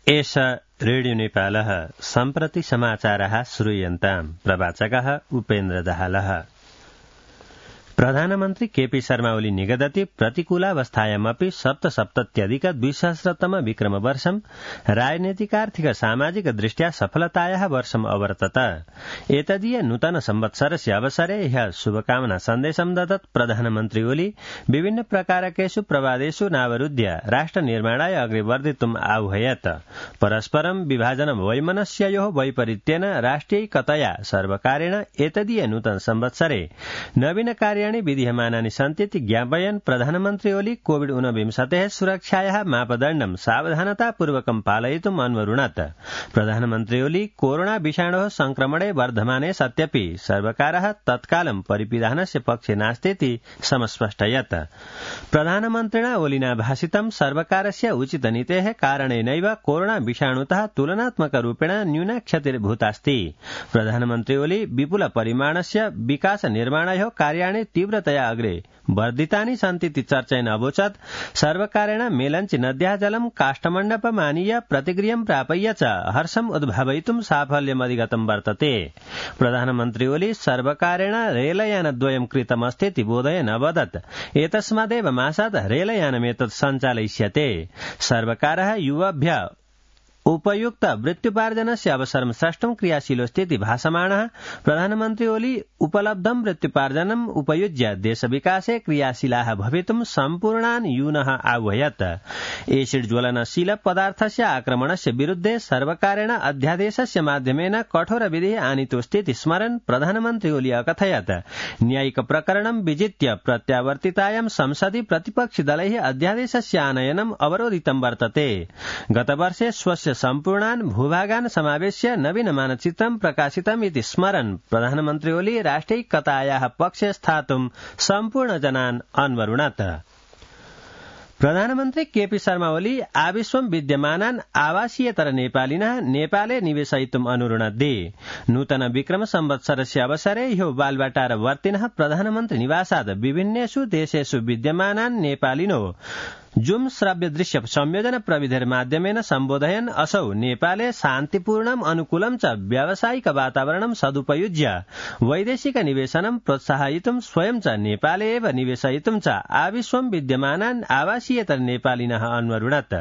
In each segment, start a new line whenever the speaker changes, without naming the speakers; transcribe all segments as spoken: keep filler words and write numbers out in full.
एष रेडियो नेपालः सम्प्रति समाचारः श्रूयन्ताम् प्रवाचकः उपेन्द्र दाहालः। प्रधानमन्त्री केपी शर्मा ओली निगदति प्रतिकूलावस्थायामपि सप्तसप्तत्यधिक द्विसहस्रतम विक्रमवर्षं राजनीतिकार्थिक सामाजिक दृष्ट्या सफलतायाः वर्षम् अवर्तत। एतदीय नूतन संवत्सरस्य अवसरे ह्यः शुभकामना सन्देशं ददत् प्रधानमन्त्री ओली विभिन्न प्रकारकेषु प्रवादेषु नावरुध्य राष्ट्र निर्माणाय अग्रे वर्धितुम् आह्वयत्। परस्परं विभाजन वैमनस्ययोः वैपरीत्येन राष्ट्रियैकतया सर्वकारेण एतदीय नूतन संवत्सरे नवीन कार्य विधीयमानानि सन्तीति ज्ञापयन् प्रधानमन्त्री ओली कोविड ऊनविंशतेः सुरक्षायाः मापदण्डं सावधानतापूर्वकं पालयितुम् अन्वरुणत्। प्रधानमन्त्री ओली कोरोना विषाणोः संक्रमणे वर्धमाने सत्यपि सर्वकारः तत्कालं परिपिधानस्य पक्षे नास्तीति समस्पष्टयत्। प्रधानमन्त्रिणा ओलिना भाषितं सर्वकारस्य उचितनीतेः कारणेनैव कोरोना विषाणुतः तुलनात्मकरूपेण न्यूना क्षतिर्भूतास्ति। प्रधानमन्त्री ओली विपुल परिमाणस्य विकास निर्माणयोः कार्याणि तीव्रतया अग्रे वर्धितानि सन्तीति चर्चयन् अवोचत्। सर्वकारेण मेलञ्चि नद्याः जलं काष्ठमण्डपमानीय प्रतिगृहं प्रापय्य च हर्षम् उद्भावयितुं साफल्यमधिगतं वर्तते। प्रधानमन्त्री ओली सर्वकारेण रेलयानद्वयं कृतमस्तीति बोधयन् अवदत्। एतस्मादेव मासात् रेलयानमेतत् सञ्चालयिष्यते। सर्वकारः युवाभ्यः उपयुक्त वृत्त्युपार्जनस्य अवसरं स्रष्टुं क्रियाशीलोऽस्तीति भाषमाणः प्रधानमन्त्री ओली उपलब्धं वृत्त्युपार्जनम् उपयुज्य देशविकासे क्रियाशीलाः भवितुं सम्पूर्णान् यूनः आह्वयत्। एसिड ज्वलनशील पदार्थस्य आक्रमणस्य विरुद्धे सर्वकारेण अध्यादेशस्य माध्यमेन कठोरविधिः आनीतोऽस्तीति स्मरन् प्रधानमन्त्री ओली अकथयत्। न्यायिक प्रकरणं विजित्य प्रत्यावर्तितायां संसदि प्रतिपक्षिदलैः अध्यादेशस्य आनयनम् अवरोधितं वर्तते। गतवर्षे स्वस्य सम्पूर्णान् भूभागान् समावेश्य नवीन मानचित्रं प्रकाशितम् इति स्मरन् प्रधानमन्त्री ओली राष्ट्रियैकतायाः पक्षे स्थातुं सम्पूर्ण जनान् अन्वरुणत्। प्रधानमन्त्री केपी शर्मा ओली आविश्वं विद्यमानान् आवासीयतर नेपालिनः नेपाले निवेशयितुम् अनुरुणद्धि। नूतन विक्रम संवत्सरस्य अवसरे ह्यो बालवाटार वर्तिनः प्रधानमन्त्री निवासात् विभिन्नेषु देशेषु विद्यमानान् नेपालिनो जूम श्रव्य दृश्य संयोजन प्रविधिर्माध्यमेन सम्बोधयन् असौ नेपाले शान्तिपूर्णम् अनुकूलं च व्यावसायिक वातावरणं सदुपयुज्य वैदेशिक निवेशनं प्रोत्साहयितुं स्वयं च नेपाले एव निवेशयितुं च आविश्वं विद्यमानान् आवासीयतर नेपालिनः अन्वरुणत्।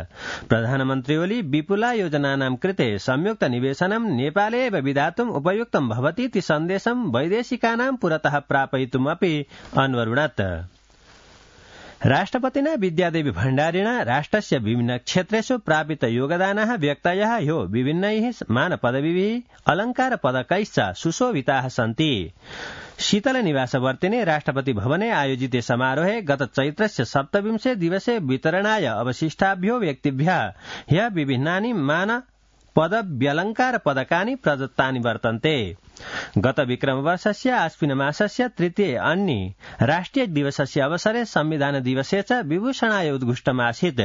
प्रधानमन्त्री ओली विपुला योजनानां कृते संयुक्त निवेशनं नेपाले एव विधातुम् उपयुक्तं भवतीति सन्देशं वैदेशिकानां पुरतः प्रापयितुमपि अन्वरुणत्। राष्ट्रपतिना विद्यादेवी भण्डारिणा राष्ट्रस्य विभिन्न क्षेत्रेषु प्रापित योगदानाः व्यक्तयः ह्यो विभिन्नैः मानपदवीभिः अलङ्कारपदकैश्च सुशोभिताः सन्ति। शीतल निवासवर्तिने राष्ट्रपति भवने आयोजिते समारोहे गत चैत्रस्य सप्तविंशे दिवसे वितरणाय अवशिष्टाभ्यो व्यक्तिभ्यः ह्यः विभिन्नानि मान पदव्यलङ्कार पदकानि प्रदत्तानि वर्तन्ते। गत विक्रमवर्षस्य आश्विन मासस्य तृतीये अन्नी राष्ट्रिय दिवसस्य अवसरे संविधान दिवसे च विभूषणाय उद्घुष्टमासीत्।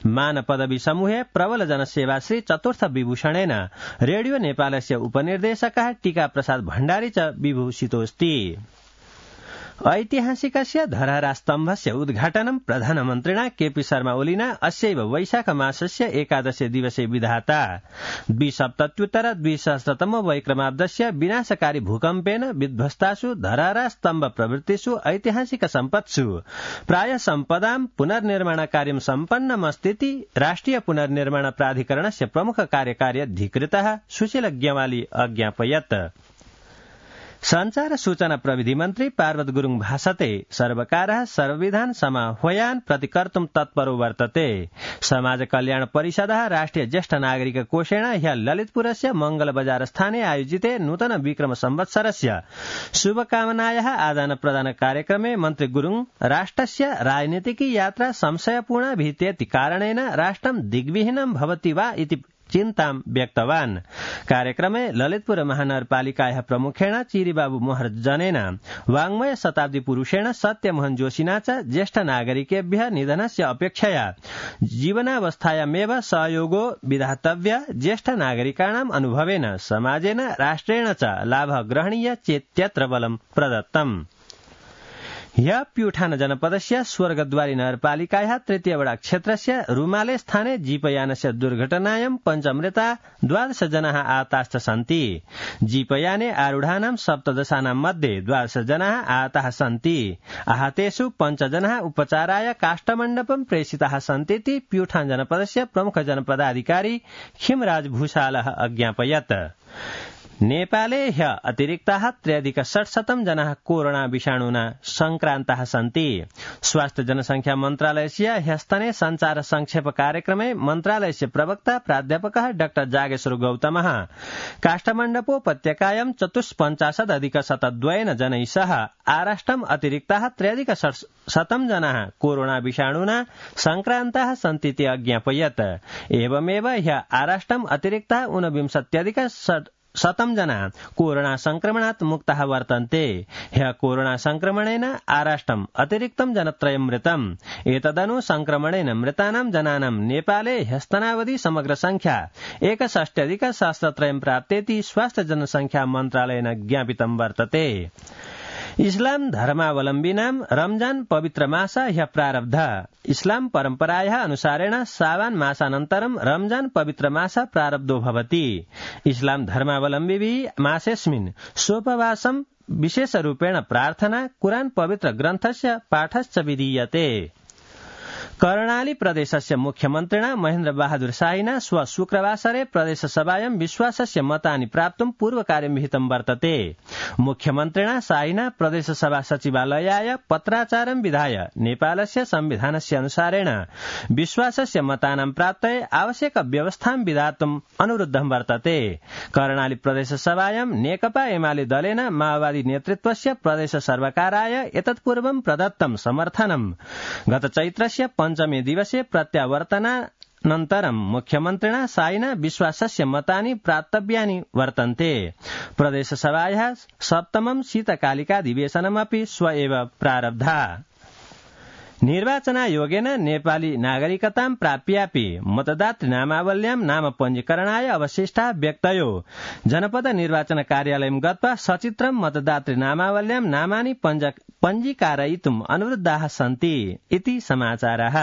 मान पदवी समूहे प्रबल जनसेवाश्री चतुर्थ विभूषणेन रेडियो नेपालस्य उपनिर्देशकः टीका प्रसाद भण्डारी च विभूषितोऽस्ति। ऐतिहासिकस्य धरहरास्तम्भस्य उद्घाटनं प्रधानमन्त्रिणा केपी शर्मा ओलिना अस्यैव वैशाख मासस्य एकादशे दिवसे विधाता। द्विसप्तत्युत्तर द्विसहस्रतम वैक्रमाब्दस्य विनाशकारी भूकम्पेन विध्वस्तासु धरहरास्तम्भ प्रभृतिषु ऐतिहासिक सम्पत्सु प्राय सम्पदां पुनर्निर्माण कार्यं सम्पन्नमस्तीति राष्ट्रिय पुनर्निर्माण प्राधिकरणस्य प्रमुख कार्यकारी अधिकृतः सुशील ग्यवाली अज्ञापयत्। संचार सूचना प्रविधि मन्त्री पार्वत गुरुङ भाषते सर्वकारः सर्वविधान समाह्वयान् प्रतिकर्तुं तत्परो वर्तते। समाज कल्याण परिषदः राष्ट्रिय ज्येष्ठ नागरिक कोषेण ह्यः ललितपुरस्य मंगल बजार स्थाने आयोजिते नूतन विक्रम संवत्सरस्य शुभकामनायाः आदान प्रदान कार्यक्रमे मन्त्री गुरुङ राष्ट्रस्य राजनीतिक यात्रा संशयपूर्णा भीतेति कारणेन राष्ट्रं दिग्विहीनं भवति वा इति चिन्तां व्यक्तवान्। कार्यक्रमे ललितपुर महानगरपालिकायाः प्रमुखेण चिरीबाबु महर्जनेन वाङ्मय शताब्दी पुरुषेण सत्यमोहन जोशिना च ज्येष्ठ नागरिकेभ्यः निधनस्य अपेक्षया जीवनावस्थायामेव सहयोगो विधातव्य। ज्येष्ठ नागरिकाणाम् अनुभवेन समाजेन राष्ट्रेण च लाभः ग्रहणीय चेत्यत्र बलं प्रदत्तम्। ह्य प्युठान जनपदस्य स्वर्गद्वारी नगरपालिकायाः तृतीय वडा क्षेत्रस्य रुमाले स्थाने जीपयानस्य दुर्घटनायां पञ्चमृता द्वादश जनाः आहताश्च सन्ति। जीपयाने आरूढानां सप्तदशानां मध्ये द्वादश जनाः आहताः सन्ति। आहतेषु पञ्चजनाः उपचाराय काष्ठमण्डपं प्रेषिताः सन्तीति प्युठान जनपदस्य प्रमुख जनपदाधिकारी खिमराज भूषालः अज्ञापयत्। नेपाले ह्य अतिरिक्ताः त्र्यधिक षट्शतं जनाः कोरोना विषाणुना संक्रान्ताः सन्ति। स्वास्थ्य जनसंख्या मन्त्रालयस्य ह्यस्तने संचार संक्षेप कार्यक्रमे मन्त्रालयस्य प्रवक्ता प्राध्यापकः डाक्टर जागेश्वर गौतमः काष्ठमण्डपोपत्यकायां चतुष्पञ्चाशत् अधिक शतद्वयेन जनैः सह आराष्ट्रम् अतिरिक्ताः त्र्यधिक षट्शतं जनाः कोरोना विषाणुना संक्रान्ताः सन्तीति अज्ञापयत्। एवमेव ह्य आराष्ट्रम् अतिरिक्ताः ऊनविंशत्यधिक शतं जना कोरोना संक्रमणात् मुक्ताः वर्तन्ते। ह्य कोरोना संक्रमणेन आराष्ट्रम् अतिरिक्तं जनत्रयं मृतम्। एतदनु संक्रमणेन मृतानां जनानां नेपाले ह्यस्तनावधि समग्र संख्या एकषष्ट्यधिक सहस्रत्रयं प्राप्तेति स्वास्थ्य जनसंख्या मन्त्रालयेन ज्ञापितं वर्तते। इस्लाम धर्मावलम्बिनां रमजान पवित्र मास ह्य प्रारब्ध। इस्लाम परम्परायाः अनुसारेण सावान मासानन्तरं रमजान पवित्र मास प्रारब्धो भवति। इस्लाम धर्मावलम्बिभिः मासेऽस्मिन् सोपवासं विशेषरूपेण प्रार्थना कुरान पवित्र ग्रन्थस्य पाठश्च विधीयते। कर्णाली प्रदेशस्य मुख्यमन्त्रिणा महेन्द्र बहादुर शाहिना श्व शुक्रवासरे प्रदेशसभायां विश्वासस्य मतानि प्राप्तुं पूर्वकार्यं विहितं वर्तते। मुख्यमन्त्रिणा शाहिना प्रदेशसभा सचिवालयाय पत्राचारं विधाय नेपालस्य संविधानस्य अनुसारेण विश्वासस्य मतानां प्राप्तये आवश्यक व्यवस्थां विधातुम् अनुरुद्धं वर्तते। कर्णाली प्रदेशसभायां नेकपा एमाले दलेन माओवादी नेतृत्वस्य प्रदेश सर्वकाराय एतत्पूर्वं प्रदत्तं समर्थनं गत चैत्रस्य पञ्चमे दिवसे प्रत्यावर्तनानन्तरं मुख्यमन्त्रिणा शाहिना विश्वासस्य मतानि प्राप्तव्यानि वर्तन्ते। प्रदेशसभायाः सप्तमं शीतकालिकाधिवेशनमपि श्व एव प्रारब्धा। निर्वाचनायोगेन नेपाली नागरिकतां प्राप्यापि मतदातृनामावल्यां नाम पञ्जीकरणाय अवशिष्टा व्यक्तयो जनपद निर्वाचन कार्यालयं गत्वा सचित्रं मतदातृनामावल्यां नामानि पञ्जीकारयितुम् अनुरुद्धाः सन्ति इति समाचारः।